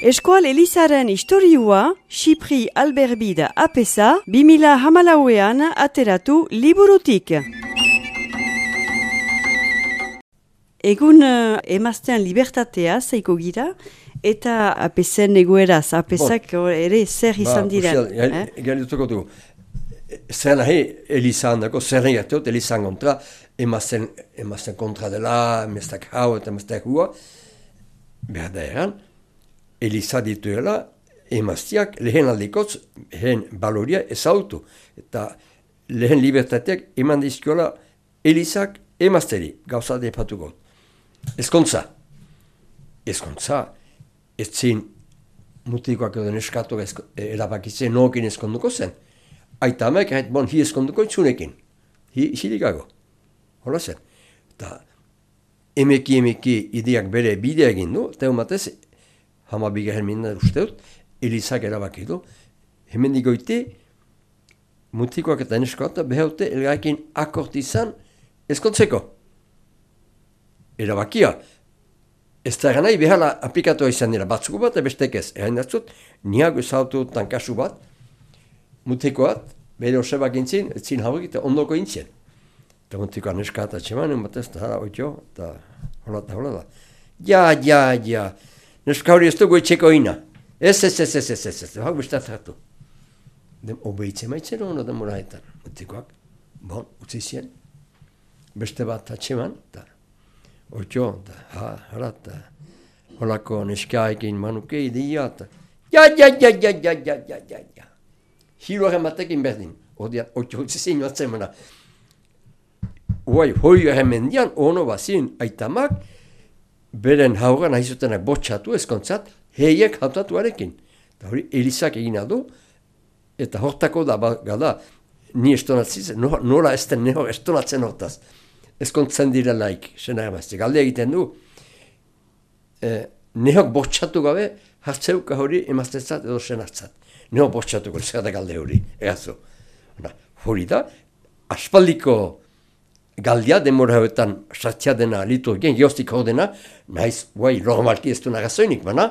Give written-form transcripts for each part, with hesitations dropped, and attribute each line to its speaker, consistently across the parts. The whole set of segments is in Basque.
Speaker 1: Eskual Elizaren historiua, Xipri Alberbida apesa, 2014an ateratu liburutik. Egun emaztean libertatea zeiko gira, eta apesen egoeraz, apesak ere zer izan diren.
Speaker 2: Galdutuko dugu. Zer nahi Elizan dako, zer nahi hartot Elizan kontra, emazten kontra dela, emaztek hau eta emaztek hua, behar da eran, Eliza dituela, emaztiak lehen aldikotz, lehen baloria ezautu. Eta lehen libertateak eman dizkiola Elizak emazteri, gauza depatuko. Ezkontza, ez zin mutikoak edo neskatu erabakitzen nookin ezkonduko zen. Aita amek, hi ezkonduko itzunekin, hilikago. Hola zen. Eta emeki ideak bere bidea egin du, eta ematez, hamabigarren minna usteut, Elizak erabaki du, hemen digoite, mutikoak eta neskatu behaute elgaikin akort izan ezkontzeko. Erabakia. Ez da eranai behala aplikatoa izan dira batzuko bat, bestek ez. Eran datzut, niago ezautu tankasu bat, mutikoat, bere osebak intzin, etzin haurik eta ondoko intzien. Eta mutikoa neskata txeman, batez, eta hala oitio, eta hola da. Ja. Neska hori ez dugu etxeko ina. Ez. Hau bestat hartu. Obeitzen maitzen hona demoraetan. Mutikoak, utzi zien. Beste bat atxeman, eta oitio, eta holako neskaekin manuke ideia, eta ja. Hiloaren batekin berdin. Oitio utzi zien joatzen mana. Hoi hemendian, ono bazin aitamak, beren hauran haizutenak botxatu ezkontzat, heiek hautatuarekin. Eta hori Elizak egina du, eta hortako da, gada, ni estonatziz, nola esten neho estonatzen hortaz. Ezkontzen direlaik, sena emazte. Galde egiten du, nehok botxatu gabe, hartzeuka hori emaztetzat edo senartzat. Nehok botxatuko, zer da galde hori, egazu. Hori da, aspaldiko galdia, demora hauetan sartzea dena liturgien, geostik hor dena, nahiz, normalki ez du nagazoinik, baina,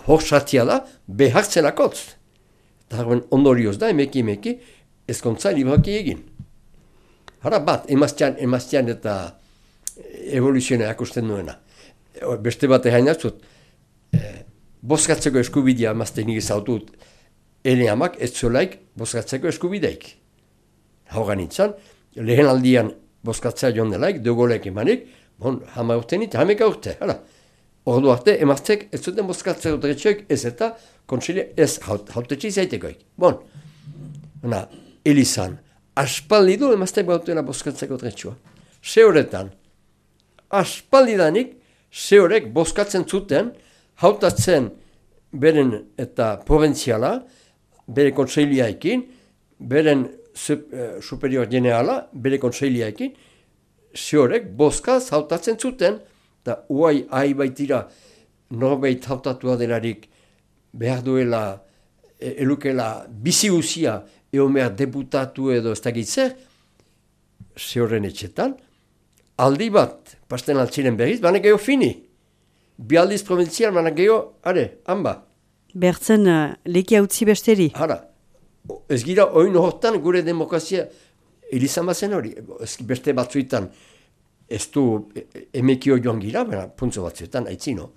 Speaker 2: hor sartzea da, behartzenakotz. Eta ondorioz da, emeki, ezkontza libraki egin. Hara bat, emaztean eta evoluzionea akusten duena. Beste bat egin hartzut, bozkatzeko eskubidea emaztenik ezautut, eleamak ez zulaik bozkatzeko eskubideik. Haugan nintzen, lehen aldian bozkatzea joan delaik, dugolek emanik, hama urte nit, hameka urte, hala. Ordu arte, emaztek ez zuten bozkatzeko dretxoik ez eta kontsilia ez hautetxe izaitekoik. Elizan, aspaldi du emaztek bautela bozkatzeko dretxoa. Se horretan, aspaldidanik, se horrek bozkatzen zuten, hautatzen beren eta proventziala, bere kontsiliaekin, beren superior generala, bere kontsiliaekin, ziorek bozkaz hautatzen zuten, eta uai baitira norbait hautatua delarik behar duela, elukela bizi guzia, eomea deputatu edo ez dakitzer, zioren etxetan, aldi bat, pasten altziren berriz, baina geho fini. Bi aldiz proventzial, baina geho, hanba.
Speaker 1: Bertzen leki hautzi besteri.
Speaker 2: Hara. Ez gira, oin hortan gure demokrazia Elizan bazen hori. Beste batzuetan ez du emekio joan gira, baina puntzo batzuetan, aitzino.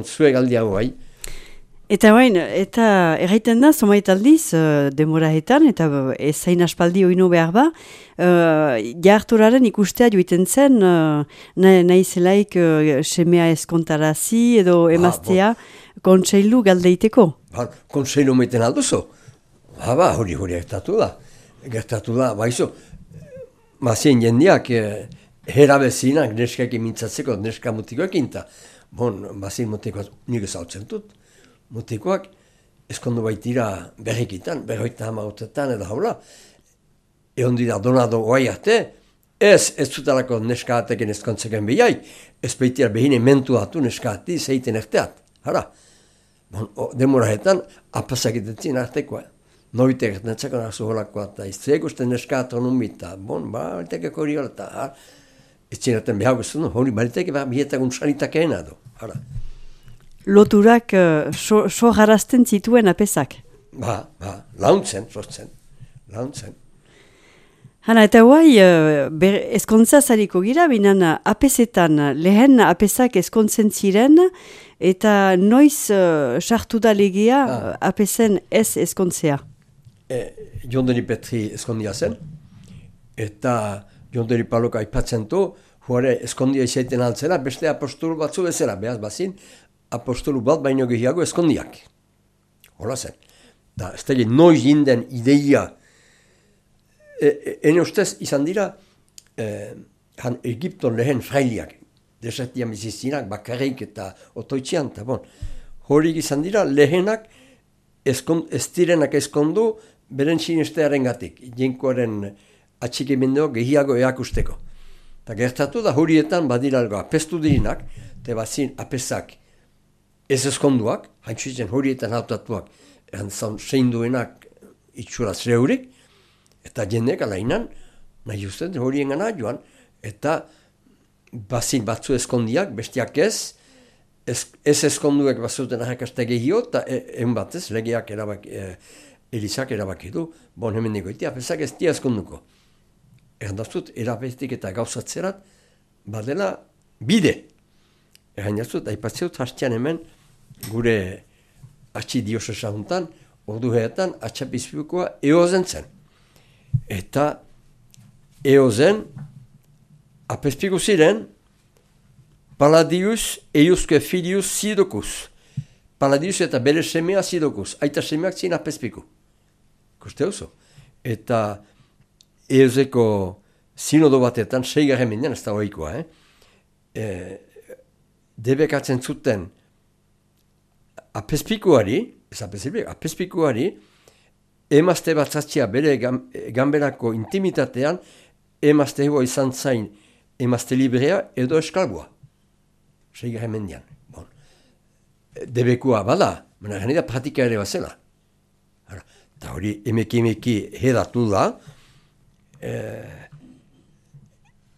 Speaker 2: Zue galdi hau bai.
Speaker 1: Eta erraiten da, zomait aldiz, demoraetan, eta ez zain aspaldi oino behar ba, jarturaren ikustea joiten zen, nahi zelaik semea eskontarazi edo emaztea kontseilu galdeiteko.
Speaker 2: Kontseilu meiten alduzo. Hori gertatu da, baizu, mazien jendeak herabezinak neskak imintzatzeko, neska mutikoekin, eta mazien mutikoak nik ezautzen dut. Mutikoak eskondu baitira berrikitan, berroita hamautetan edo haula. Egon dira donado oai arte, ez zutalako neska ateken eskontzeken behiai, ez baitira behine mentu atu neska ati zeiten erteat. Demoraetan apasakitetzin artekoa. Noite gertatzeko nazu holakoa, eta iztzegusten neska atonumita, bariteke hori hori, eta ez zinaten behar guztun, hori bariteke behar bietagun sanitakeena du.
Speaker 1: loturak so jarazten zituen apesak.
Speaker 2: Launtzen.
Speaker 1: Hana, eta guai, ezkontza zariko gira, binan apesetan, lehen apesak ezkontzen ziren, eta noiz sartu da legea apesen ez ezkontzea.
Speaker 2: Jonderi Petri ezkondia zen, eta Jonderi Paloka aipatzen du, huare ezkondia izaiten altzera, beste apostolu batzu bezala, behaz bazin, apostolu bat baino gehiago ezkondiak. Hola zen. Da, ez da noiz inden ideia, ene ustez izan dira, han Egipton lehen frailiak, desertian bizizinak, bakarrik eta otoitzian, eta bon, horik izan dira lehenak ez direnak ezkondu beren sinestearen gatik, jenkoaren atxikimendeo gehiago eakusteko. Eta gertatu da horietan badiralgo apestu dirinak, eta bazin apesak ez ezkonduak, haintzitzen horietan hautatuak, zein duenak itxura zreurik, eta jendek alainan, nahi usten horien gana joan, eta bazin batzu ezkondiak, bestiak ez ezkonduek bazuten ahakaste gehio, eta egun batez, legeak Elizak erabaki du, bon hemen negoiti, apesak ez dia ezkonduko. Erandaztut, erabestik eta gauzatzerat, badela bide. Erandaztut, aipatzeut hastian hemen, gure atxi diosesa juntan, orduheetan, atxapizpikoa eozen zen. Eta eozen, apespiko ziren, Paladius eiuske filius Sidokus. Paladius eta bere semea Sidokus. Aita semeak zin apespiko. Koste oso. Eta eozeko sinodo batetan, 6. mendean, ez da ohikoa, debekatzen zuten apespikoari, emazte batzatzia bere ganberako intimitatean, emazte hego izan zain emazte librea edo eskalboa. 6. mendean. Bon. Debekua bada, baina gani da pratika ere bazela. Eta hori emeki hedatu da,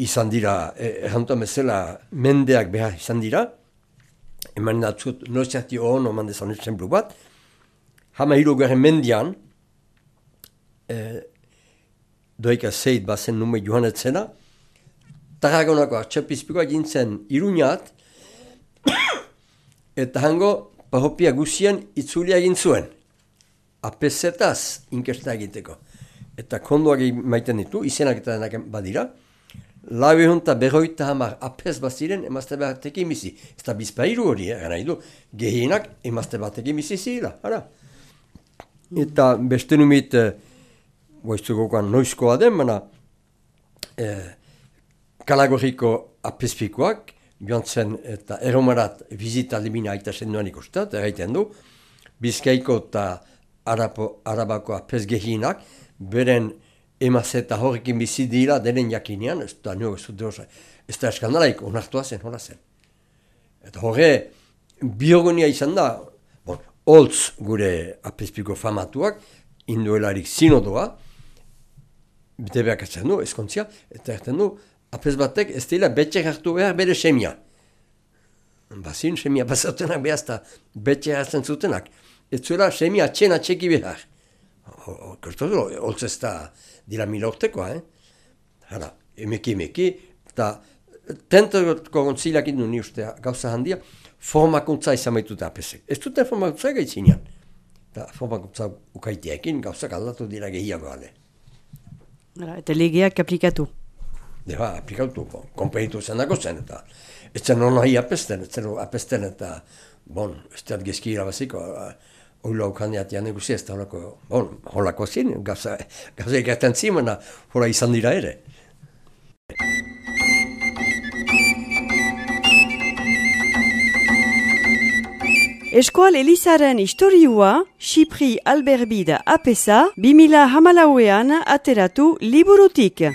Speaker 2: izan dira, errantuan bezala mendeak behar izan dira, eman datzut noziati hon oman dezan exemplu bat, hama 3. mendean, doika zeit bazen nume joanetzena, Tarragonako atxapizpikoa gintzen Iruñat, eta hango parropia guzien itzulia egin zuen. Apesetaz inkesta egiteko. Eta kondoak maiten ditu, izenak eta denak badira. Lau egun eta 50 apes baziren emazte batekin bizi. Ez da bizpairu hori, gana idu, gehienak emazte batekin bizi zila. Eta beste numit, goiztukoan noizkoa den, baina Kalagorriko apespikoak, joan zen eta erromarat bizita limina aita senduan ikustat, erraiten du, Bizkaiko eta Arabako apes gehienak, beren emazeta horrekin bizi dira denen jakinean, ez da eskandalaik, onartua zen, hola zen. Eta horre, biogonia izan da, holtz gure apespiko famatuak, induelarik sinodoa, debeak etzen du, eskontzia, eta erten du, apes batek ez dira betxek hartu behar bere semia. Bazin semia pasatunak behazta betxek hartzen zutenak. Ez zuela semia txena txeki behar. Holtz ez da dira 1000 urtekoa, Hala, emeki, eta tentoko gontzilak indu ni uste gauza handia, formakuntza izan baitute apesek. Ez duten formakuntza gaitzinean. Eta formakuntza ukaiteekin gauzak aldatu dira gehiago ale.
Speaker 1: Eta legeak aplikatu.
Speaker 2: Aplikatu, konperitu zen dago zen, eta ez zen hona hi apesten, eta, ez da gezki irabaziko, oila ukaneatian eguzia, ez da holako zin, gauza egerten zimena, hola izan dira ere.
Speaker 1: Eskoal Elizaren historiua, Xipri Alberbida apesa, 2014an ateratu liburutik.